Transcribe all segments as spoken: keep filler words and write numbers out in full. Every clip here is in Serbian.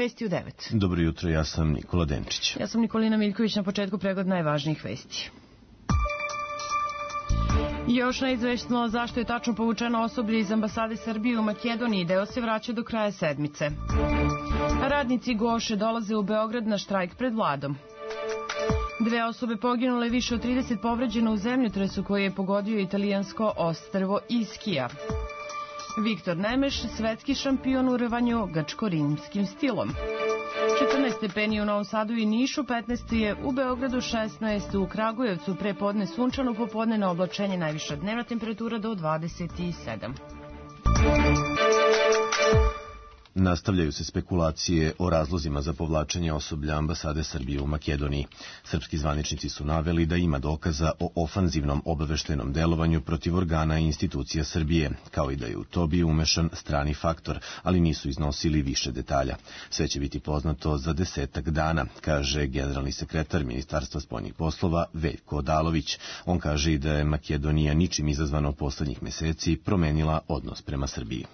Vesti u devet. Dobro jutro, ja sam Nikola Denčić. Ja sam Nikolina Miljković, na početku pregled najvažnijih vesti. Još neizvestno zašto je tačno povučeno osoblje iz ambasade Srbije u Makedoniji, deo se vraća do kraja sedmice. Radnici Goše dolaze u Beograd na štrajk pred vladom. Dve osobe poginule, više od trideset povređeno u zemljotresu koji je pogodio italijansko ostrvo Iskija. Viktor Nemeš, svetski šampion u rvanju grčko-rimskim stilom. četrnaest stepeni u Novom Sadu i Nišu, petnaest je u Beogradu, šesnaest u Kragujevcu, pre podne sunčano, popodne na oblačenje, najviša dnevna temperatura do dvadeset sedam. Nastavljaju se spekulacije o razlozima za povlačenje osoblja ambasade Srbije u Makedoniji. Srpski zvaničnici su naveli da ima dokaza o ofanzivnom obaveštajnom delovanju protiv organa i institucija Srbije, kao i da je u to bio umešan strani faktor, ali nisu iznosili više detalja. Sve će biti poznato za desetak dana, kaže generalni sekretar Ministarstva spoljnih poslova Veljko Odalović. On kaže i da je Makedonija ničim izazvano poslednjih meseci promenila odnos prema Srbiji.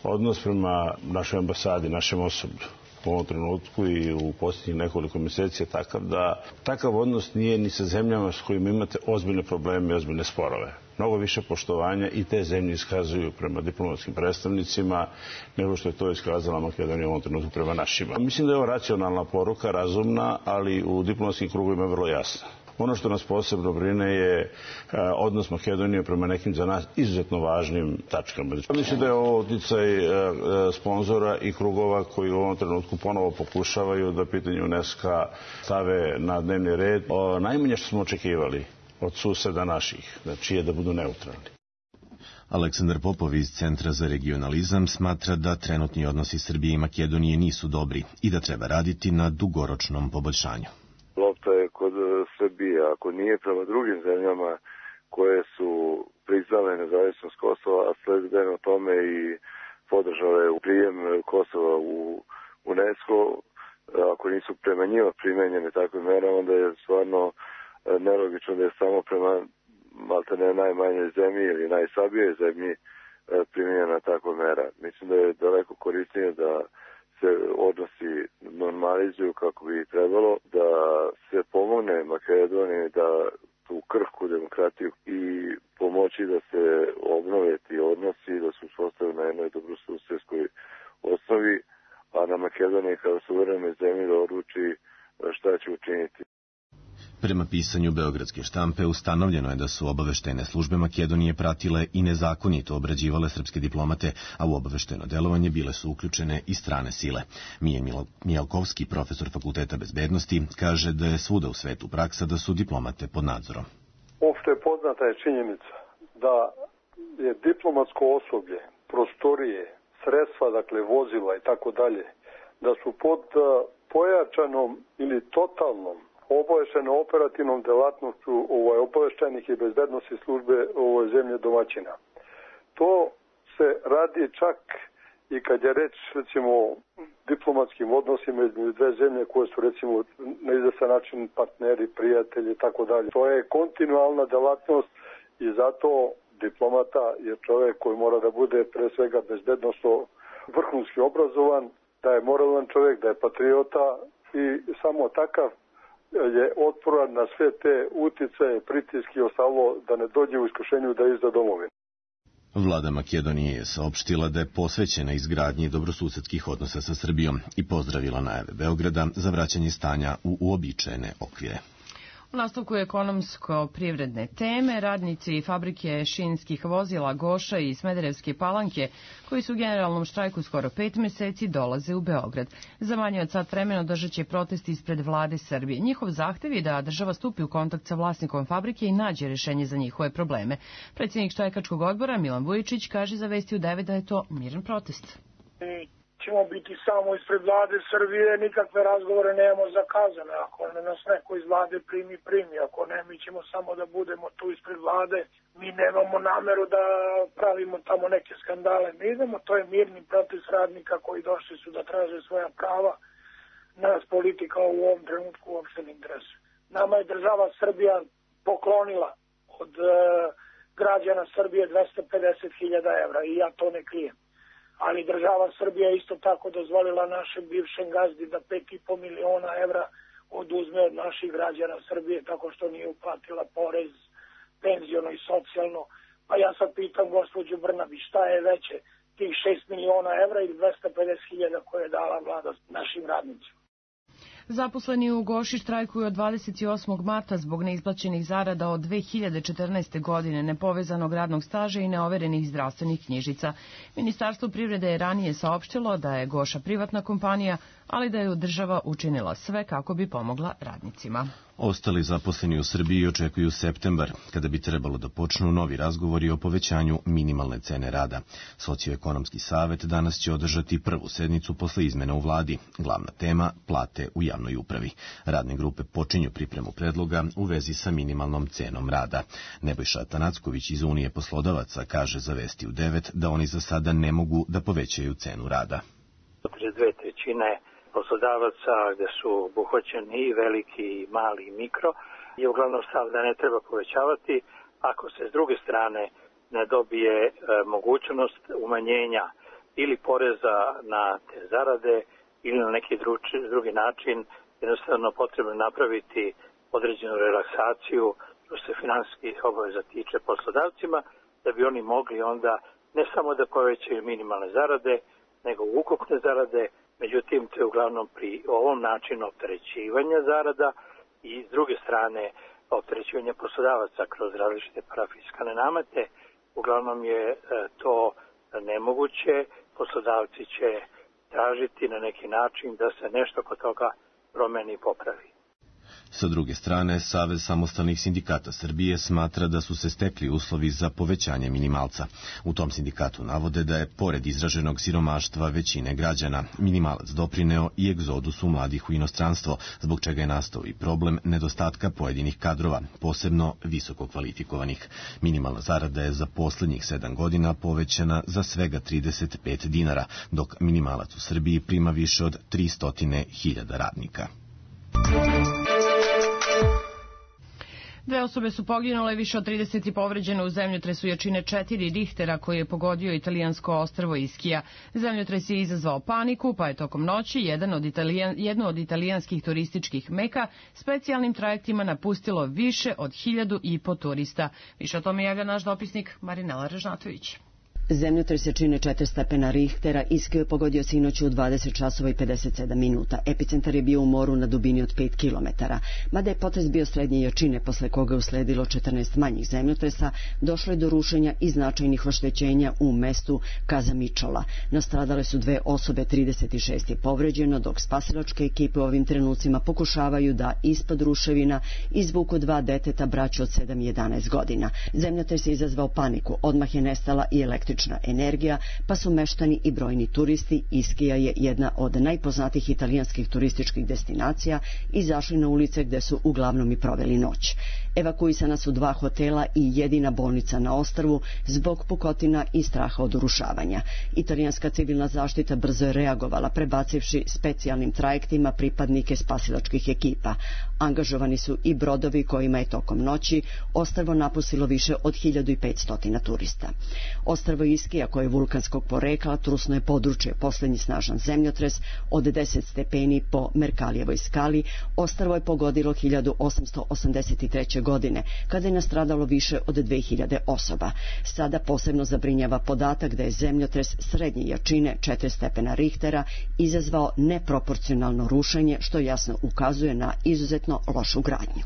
Odnos prema našoj ambasadi, našem osoblju u ovom trenutku i u posljednjih nekoliko mjeseci je takav da takav odnos nije ni sa zemljama s kojima imate ozbiljne probleme i ozbiljne sporove. Mnogo više poštovanja i te zemlje iskazuju prema diplomatskim predstavnicima nego što je to iskazala Makedonija u ovom trenutku prema našima. Mislim da je ovo racionalna poruka, razumna, ali u diplomatskim krugovima vrlo jasna. Ono što nas posebno brine je odnos Makedonije prema nekim za nas izuzetno važnim tačkama. Mislim da je ovo uticaj sponzora i krugova koji u ovom trenutku ponovo pokušavaju da pitanje UNESCO stave na dnevni red. Najmanje što smo očekivali od suseda naših, znači je da budu neutralni. Aleksandar Popov iz Centra za regionalizam smatra da trenutni odnosi Srbije i Makedonije nisu dobri i da treba raditi na dugoročnom poboljšanju. Lopta je kod Srbije, ako nije prema drugim zemljama koje su priznale nezavisnost Kosova, a sledbeno tome i podržale u prijem Kosova u UNESCO, ako nisu prema njima primenjene takve mere, onda je stvarno nelogično da je samo prema maltene najmanjoj zemlji ili najslabijoj zemlji primenjena takva mera. Mislim da je daleko korisnije da se odnosi normalizuju kako bi trebalo, da se pomogne Makedoniji da tu krhku demokratiju i pomoći da se obnove ti odnosi, da se uspostavi na jednoj dobrosusedskoj osnovi, a na Makedoniji kao suverenoj zemlji da odluči šta će učiniti. Prema pisanju beogradske štampe ustanovljeno je da su obaveštajne službe Makedonije pratile i nezakonito obrađivale srpske diplomate, a u obaveštajno delovanje bile su uključene i strane sile. Mije Mijalkovski, profesor Fakulteta bezbednosti, kaže da je svuda u svetu praksa da su diplomate pod nadzorom. Opšte poznata je činjenica da je diplomatsko osoblje, prostorije, sredstva, dakle vozila i tako dalje, da su pod pojačanom ili totalnom obaveštajno operativnom delatnošću ovaj, obaveštajnih i bezbednosti službe ovoj zemlje domaćina. To se radi čak i kad je reč recimo diplomatskim odnosima između dve zemlje koje su recimo na izvestan način partneri, prijatelji i tako dalje. To je kontinualna delatnost i zato diplomata je čovjek koji mora da bude pre svega bezbednosno vrhunski obrazovan, da je moralan čovjek, da je patriota i samo takav je otporan na sve te uticaje, pritiske i ostalo da ne dođe u iskušenju da izda domovinu. Vlada Makedonije je saopštila da je posvećena izgradnji dobrosusedskih odnosa sa Srbijom i pozdravila najave Beograda za vraćanje stanja u uobičajene okvire. U nastavku ekonomsko-privredne teme, radnici fabrike šinskih vozila Goša i Smederevske Palanke, koji su u generalnom štrajku skoro pet meseci, dolaze u Beograd. Za manje od sat vremena održat će protest ispred vlade Srbije. Njihov zahtev je da država stupi u kontakt sa vlasnikom fabrike i nađe rešenje za njihove probleme. Predsjednik štrajkačkog odbora Milan Vujičić kaže za Vesti u devet da je to miran protest. Ćemo biti samo ispred vlade Srbije, nikakve razgovore nemamo zakazane. Ako nas neko iz vlade primi, primi. Ako ne, mi ćemo samo da budemo tu ispred vlade. Mi nemamo nameru da pravimo tamo neke skandale. Mi idemo, to je mirni protest radnika koji došli su da traže svoja prava. Nas politika u ovom trenutku uopšte ne interesuje. Nama je država Srbija poklonila od uh, građana Srbije dvesta pedeset hiljada evra i ja to ne krijem. ali država Srbija isto tako dozvolila našem bivšem gazdi da pet i po miliona evra oduzme od naših građana Srbije tako što nije uplatila porez, penziono i socijalno. Pa ja sad pitam gospođu Brnabić, šta je veće, tih šest miliona evra ili dvesta pedeset hiljada koje je dala vlada našim radnicima? Zaposleni u Goši štrajkuju od dvadeset osmog marta zbog neisplaćenih zarada od dve hiljade četrnaeste. godine, nepovezanog radnog staža i neoverenih zdravstvenih knjižica. Ministarstvo privrede je ranije saopštilo da je Goša privatna kompanija, ali da je država učinila sve kako bi pomogla radnicima. Ostali zaposleni u Srbiji očekuju septembar, kada bi trebalo da počnu novi razgovori o povećanju minimalne cene rada. Socioekonomski savet danas će održati prvu sednicu posle izmena u vladi. Glavna tema – plate u javnoj upravi. Radne grupe počinju pripremu predloga u vezi sa minimalnom cenom rada. Nebojša Atanacković iz Unije poslodavaca kaže za Vesti u devet da oni za sada ne mogu da povećaju cenu rada. Dve trećine poslodavaca gde su obuhvaćeni i veliki, i mali, i mikro, je uglavnom stav da ne treba povećavati ako se s druge strane ne dobije e, mogućnost umanjenja ili poreza na te zarade ili na neki drugi, drugi način. Jednostavno potrebno napraviti određenu relaksaciju što se finansijskih obaveza tiče poslodavcima, da bi oni mogli onda ne samo da povećaju minimalne zarade, nego ukupne zarade. Međutim, to je uglavnom pri ovom načinu opterećivanja zarada i s druge strane opterećivanja poslodavaca kroz različite parafiskalne namete. Uglavnom je to nemoguće. Poslodavci će tražiti na neki način da se nešto kod toga promeni i popravi. Sa druge strane, Savez samostalnih sindikata Srbije smatra da su se stekli uslovi za povećanje minimalca. U tom sindikatu navode da je, pored izraženog siromaštva većine građana, minimalac doprineo i egzodusu mladih u inostranstvo, zbog čega je nastao i problem nedostatka pojedinih kadrova, posebno visoko kvalifikovanih. Minimalna zarada je za poslednjih sedam godina povećana za svega trideset pet dinara, dok minimalac u Srbiji prima više od tristo hiljada radnika. Dve osobe su poginule, više od trideset povređene u zemljotresu jačine četiri Richtera koji je pogodio italijansko ostrvo Iskija. Zemljotres je izazvao paniku, pa je tokom noći jedan od italijan, jedno od italijanskih turističkih meka specijalnim trajektima napustilo više od hiljadu i po turista. Više o tome javlja naš dopisnik Marinela Režnatović. Zemljotres jačine četiri stepena Richtera Iskiju je pogodio sinoć u dvadeset časova i pedeset sedam minuta. Epicentar je bio u moru na dubini od pet kilometara. Mada je potres bio srednje jačine, posle koga je usledilo četrnaest manjih zemljotresa, došlo je do rušenja i značajnih oštećenja u mestu Kazamičola. Nastradale su dve osobe, trideset šest je povređeno, dok spasilačke ekipe u ovim trenucima pokušavaju da ispod ruševina izvuku dva deteta, braću od sedam i jedanaest godina. Zemljotres je izazvao paniku, odmah je nestala i električna energija, pa su meštani i brojni turisti, Iskija je jedna od najpoznatijih italijanskih turističkih destinacija, izašli na ulice gde su uglavnom i proveli noć. Evakuisana su dva hotela i jedina bolnica na ostrvu zbog pukotina i straha od urušavanja. Italijanska civilna zaštita brzo je reagovala, prebacivši specijalnim trajektima pripadnike spasilačkih ekipa. Angažovani su i brodovi kojima je tokom noći ostrvo napustilo više od hiljadu i petsto turista. Ostrvo Iskija, koje je vulkanskog porekla, trusno je područje. Poslednji snažan zemljotres od deset stepeni po Merkalijevoj skali ostrvo je pogodilo hiljadu osamsto osamdeset treće. godine, kada je nastradalo više od dve hiljade osoba. Sada posebno zabrinjava podatak da je zemljotres srednje jačine četiri stepena Richtera izazvao neproporcionalno rušenje, što jasno ukazuje na izuzetno lošu gradnju.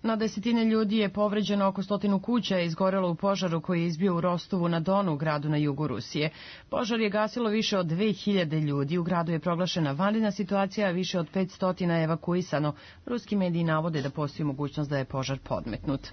Na desetine ljudi je povređeno, oko stotinu kuća je izgorelo u požaru koji je izbio u Rostovu na Donu, gradu na jugu Rusije. Požar je gasilo više od dve hiljade ljudi. U gradu je proglašena vanredna situacija, a više od petsto je evakuisano. Ruski mediji navode da postoji mogućnost da je požar podmetnut.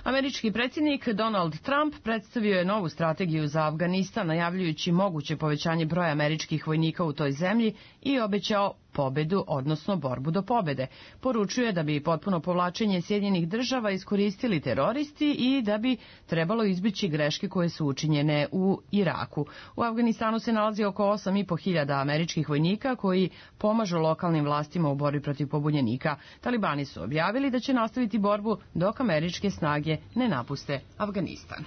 Američki predsjednik Donald Trump predstavio je novu strategiju za Afganistan, najavljujući moguće povećanje broja američkih vojnika u toj zemlji i obećao pobedu, odnosno borbu do pobede. Poručuje da bi potpuno povlačenje Sjedinjenih država iskoristili teroristi i da bi trebalo izbjeći greške koje su učinjene u Iraku. U Afganistanu se nalazi oko osam i po hiljada američkih vojnika koji pomažu lokalnim vlastima u borbi protiv pobunjenika. Talibani su objavili da će nastaviti borbu dok američke snage ne napuste Afganistan.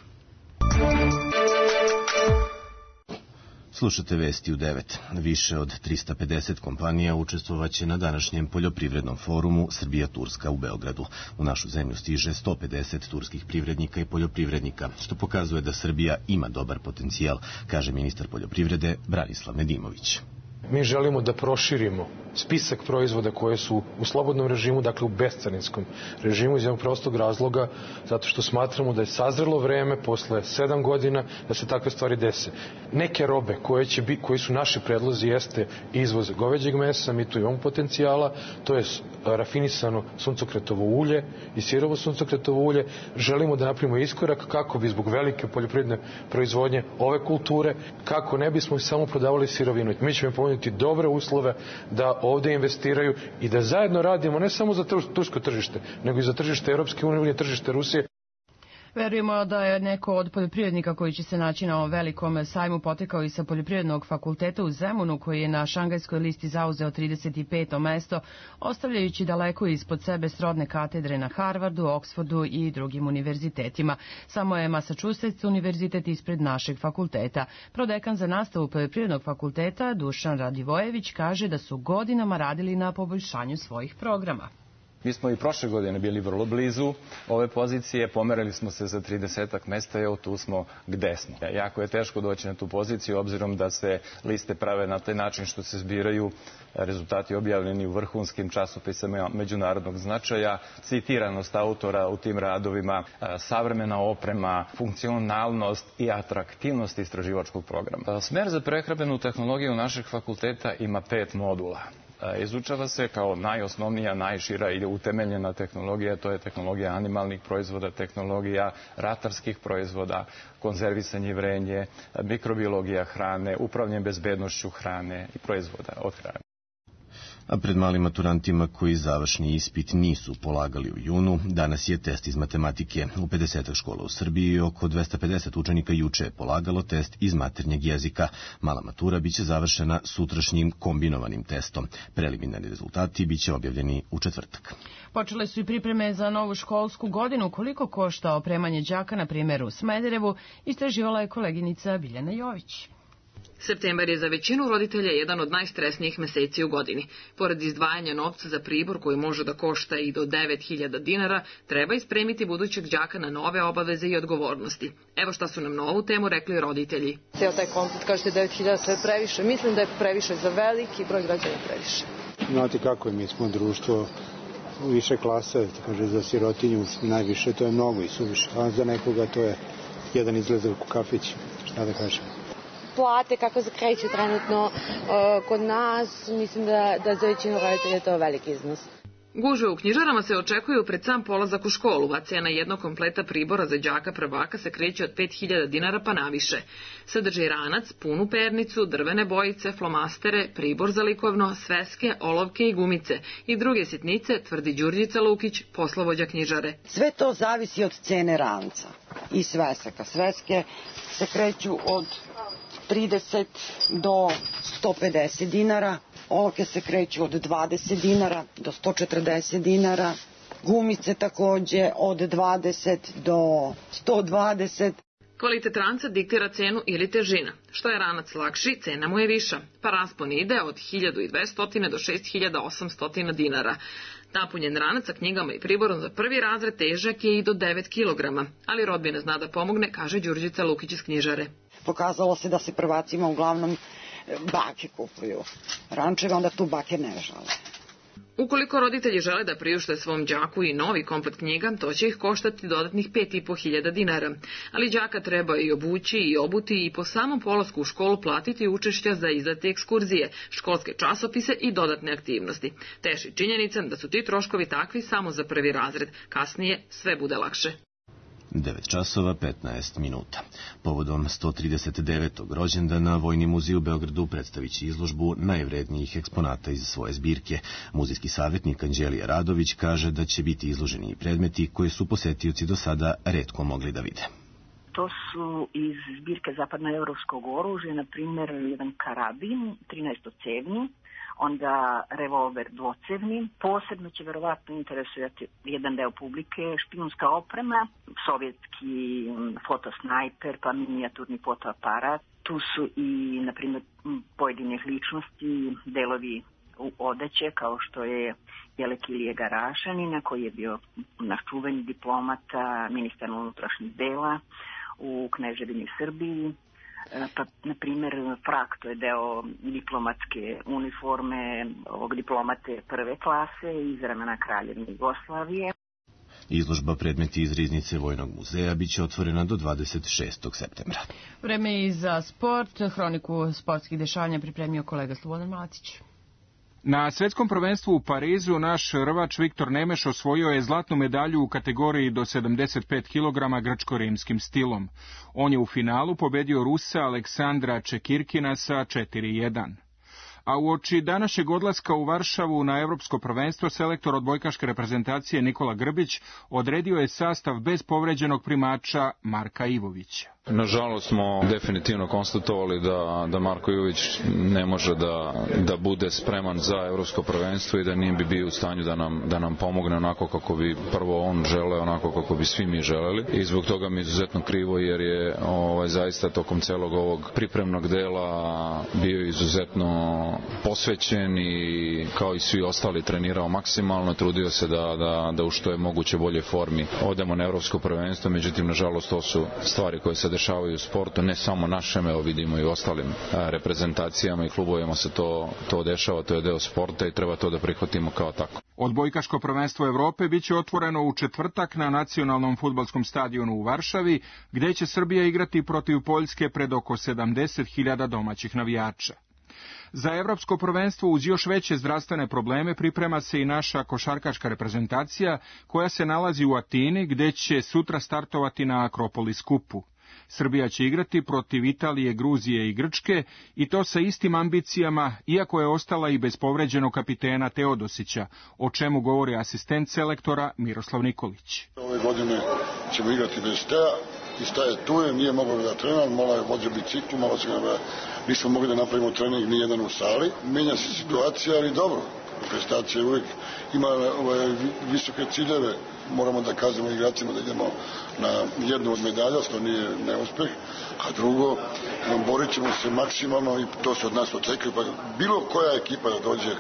Slušate vesti u devet. Više od trista pedeset kompanija učestvovaće na današnjem poljoprivrednom forumu Srbija-Turska u Beogradu. U našu zemlju stiže sto pedeset turskih privrednika i poljoprivrednika, što pokazuje da Srbija ima dobar potencijal, kaže ministar poljoprivrede Branislav Nedimović. Mi želimo da proširimo spisak proizvoda koje su u slobodnom režimu, dakle u bescarinskom režimu, iz jednog prostog razloga, zato što smatramo da je sazrelo vreme posle sedam godina da se takve stvari dese. Neke robe koje, će bi, koji su naši predlozi jeste izvoz goveđeg mesa, mi tu imamo potencijala, to je rafinisano suncokretovo ulje i sirovo suncokretovo ulje. Želimo da napravimo iskorak kako bi zbog velike poljoprivredne proizvodnje ove kulture, kako ne bismo samo prodavali sirovinu. Mi ćemo ponuditi dobre uslove da ovde investiraju i da zajedno radimo ne samo za tursko tržište, nego i za tržište Europske unije, tržište Rusije. Verujemo da je neko od poljoprivrednika koji će se naći na ovom velikom sajmu potekao i sa Poljoprivrednog fakulteta u Zemunu, koji je na šangajskoj listi zauzeo trideset peto mesto, ostavljajući daleko ispod sebe srodne katedre na Harvardu, Oksfordu i drugim univerzitetima. Samo je Massachusetts univerzitet ispred našeg fakulteta. Prodekan za nastavu Poljoprivrednog fakulteta Dušan Radivojević kaže da su godinama radili na poboljšanju svojih programa. Mi smo i prošle godine bili vrlo blizu ove pozicije, pomerali smo se za tridesetak mesta i evo tu smo gde smo. Jako je teško doći na tu poziciju, obzirom da se liste prave na taj način što se zbiraju rezultati objavljeni u vrhunskim časopisima međunarodnog značaja, citiranost autora u tim radovima, savremena oprema, funkcionalnost i atraktivnost istraživačkog programa. Smer za prehrambenu tehnologiju našeg fakulteta ima pet modula. Izučava se kao najosnovnija, najšira i utemeljena tehnologija, to je tehnologija animalnih proizvoda, tehnologija ratarskih proizvoda, konzervisanje i vrenje, mikrobiologija hrane, upravljanje bezbednošću hrane i proizvoda od hrane. A pred malim maturantima koji završni ispit nisu polagali u junu, danas je test iz matematike. U pedeset škola u Srbiji oko dvesta pedeset učenika juče je polagalo test iz maternjeg jezika. Mala matura biće završena sutrašnjim kombinovanim testom. Preliminarni rezultati biće objavljeni u četvrtak. Počele su i pripreme za novu školsku godinu. Koliko košta opremanje đaka, na primjer u Smederevu, istraživala je koleginica Biljana Jović. Septembar je za većinu roditelja jedan od najstresnijih meseci u godini. Pored izdvajanja novca za pribor koji može da košta i do devet hiljada dinara, treba ispremiti budućeg đaka na nove obaveze i odgovornosti. Evo šta su nam na ovu temu rekli roditelji. Cijel taj komplet, kažete devet hiljada, sve je previše. Mislim da je previše za veliki broj građana previše. Znate kako je, mi smo društvo više klasa, kaže za sirotinju najviše, to je mnogo i suviše. A za nekoga to je jedan izlazak u kafić, šta da kažem. Plate kako se kreću trenutno uh, kod nas, mislim da, da za većinu roditelja je to veliki iznos. Gužve u knjižarama se očekuju pred sam polazak u školu, a cena jednog kompleta pribora za đaka prvaka se kreće od pet hiljada dinara pa naviše. Sadrži ranac, punu pernicu, drvene bojice, flomastere, pribor za likovno, sveske, olovke i gumice i druge sitnice, tvrdi Đurđica Lukić, poslovođa knjižare. Sve to zavisi od cene ranca i svesaka. Sveske se kreću od trideset do sto pedeset dinara, olovke se kreću od dvadeset dinara do sto četrdeset dinara, gumice takođe od dvadeset do sto dvadeset. Kvalitet ranca diktira cenu ili težina. Što je ranac lakši, cena mu je viša, pa raspon ide od hiljadu dvesta do šest hiljada osamsto dinara. Napunjen ranac sa knjigama i priborom za prvi razred težak je i do devet kilograma, ali rodbina zna da pomogne, kaže Đurđica Lukić iz knjižare. Pokazalo se da se prvacima uglavnom bake kupuju rančeve, onda tu bake ne žale. Ukoliko roditelji žele da priušte svom đaku i novi komplet knjiga, to će ih koštati dodatnih pet i po hiljada dinara. Ali đaka treba i obući i obuti i po samom polasku u školu platiti učešća za izdate ekskurzije, školske časopise i dodatne aktivnosti. Teši činjenica da su ti troškovi takvi samo za prvi razred. Kasnije sve bude lakše. devet časova petnaest minuta. Povodom sto trideset devetog rođendana Vojni muzej u Beogradu predstavit će izložbu najvrednijih eksponata iz svoje zbirke. Muzejski savjetnik Anđelija Radović kaže da će biti izloženi predmeti koje su posetioci do sada retko mogli da vide. To su iz zbirke zapadnoevropskog oružja, na primjer jedan karabin, trinaestocevni, onda revolver dvocevni. Posebno će verovatno interesujati jedan deo publike špijunska oprema, sovjetski fotosnajper, pa minijaturni fotoaparat. Tu su i, na primjer, pojedinih ličnosti, delovi odeće, kao što je Jelek Ilije Garašanina, koji je bio naš čuveni diplomata, ministar unutrašnjih dela u Kneževini Srbiji. Pa, na primjer, frak, to je deo diplomatske uniforme ovog diplomate prve klase iz vremena Kraljevine Jugoslavije. Izložba predmeti iz riznice Vojnog muzeja biće otvorena do dvadeset šestog septembra. Vreme i za sport. Hroniku sportskih dešavanja pripremio kolega Slobodan Macić. Na svetskom prvenstvu u Parizu naš rvač Viktor Nemeš osvojio je zlatnu medalju u kategoriji do sedamdeset pet kilograma grčko-rimskim stilom. On je u finalu pobedio Rusa Aleksandra Čekirkina sa četiri jedan. A uoči današnjeg odlaska u Varšavu na evropsko prvenstvo, selektor odbojkaške reprezentacije Nikola Grbić odredio je sastav bez povređenog primača Marka Ivovića. Nažalost smo definitivno konstatovali da, da Marko Ivović ne može da, da bude spreman za evropsko prvenstvo i da nije bi bio u stanju da nam, da nam pomogne onako kako bi prvo on želeo, onako kako bi svi mi želeli. I zbog toga mi je izuzetno krivo jer je ovaj, zaista tokom celog ovog pripremnog dela bio izuzetno posvećen i kao i svi ostali trenirao maksimalno, trudio se da, da, da u što je moguće bolje formi odemo na evropsko prvenstvo, međutim nažalost to su stvari koje se dešavaju u sportu, ne samo našem, evo vidimo i u ostalim reprezentacijama i klubovima se to, to dešava, to je deo sporta i treba to da prihvatimo kao tako. Odbojkaško prvenstvo Evrope biće otvoreno u četvrtak na nacionalnom fudbalskom stadionu u Varšavi, gde će Srbija igrati protiv Poljske pred oko sedamdeset hiljada domaćih navijača. Za evropsko prvenstvo uz još veće zdravstvene probleme priprema se i naša košarkaška reprezentacija koja se nalazi u Atini gde će sutra startovati na Akropolis kupu. Srbija će igrati protiv Italije, Gruzije i Grčke i to sa istim ambicijama, iako je ostala i bez povređenog kapitena Teodosića, o čemu govori asistent selektora Miroslav Nikolić. Ove godine ćemo igrati bez Tea i Staje tu je, nije mogao da trener, malo je vođa biciklu, malo se ga nismo mogli da napravimo trening ni jedan u sali. Menja se situacija, ali dobro. Reprezentacija uvijek ima ove visoke ciljeve, moramo da kažemo igračima da idemo na jednu od medalja, što nije neuspeh, a drugo, borit ćemo se maksimalno i to se od nas očekuje, pa bilo koja ekipa da dođe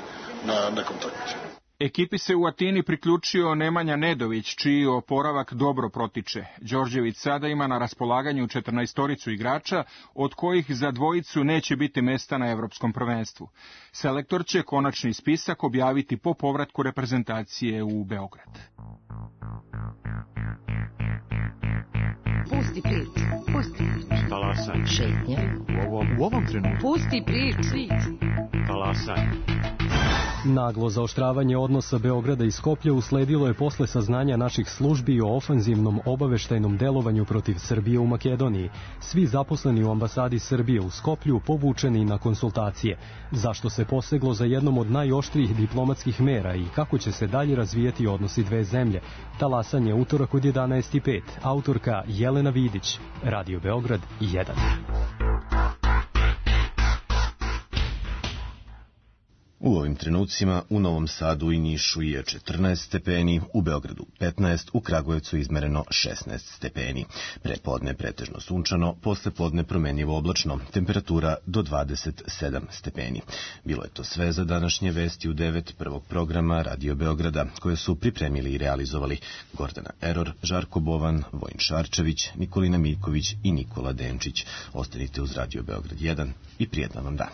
na nekom takmičenju. Ekipi se u Atini priključio Nemanja Nedović, čiji oporavak dobro protiče. Đorđević sada ima na raspolaganju četrnaestoricu igrača, od kojih za dvojicu neće biti mesta na evropskom prvenstvu. Selektor će konačni spisak objaviti po povratku reprezentacije u Beograd. Pusti priču, pusti priču. Talasaj. Šetnja. U ovom, u ovom trenutku. Pusti priču. Talasaj. Naglo zaoštravanje odnosa Beograda i Skoplja usledilo je posle saznanja naših službi o ofanzivnom obaveštajnom delovanju protiv Srbije u Makedoniji. Svi zaposleni u ambasadi Srbije u Skoplju povučeni na konsultacije. Zašto se poseglo za jednom od najoštrijih diplomatskih mera i kako će se dalje razvijati odnosi dve zemlje? Talasanje utorak od jedanaest i pet. Autorka Jelena Vidić. Radio Beograd jedan. U ovim trenucima u Novom Sadu i Nišu je četrnaest stepeni, u Beogradu petnaest, u Kragujevcu izmereno šesnaest stepeni. Prepodne pretežno sunčano, posle podne promenljivo oblačno, temperatura do dvadeset sedam stepeni. Bilo je to sve za današnje vesti u devet prvog programa Radio Beograda, koje su pripremili i realizovali Gordana Eror, Žarko Bovan, Vojin Šarčević, Nikolina Miljković i Nikola Denčić. Ostanite uz Radio Beograd jedan i prijetan vam dan.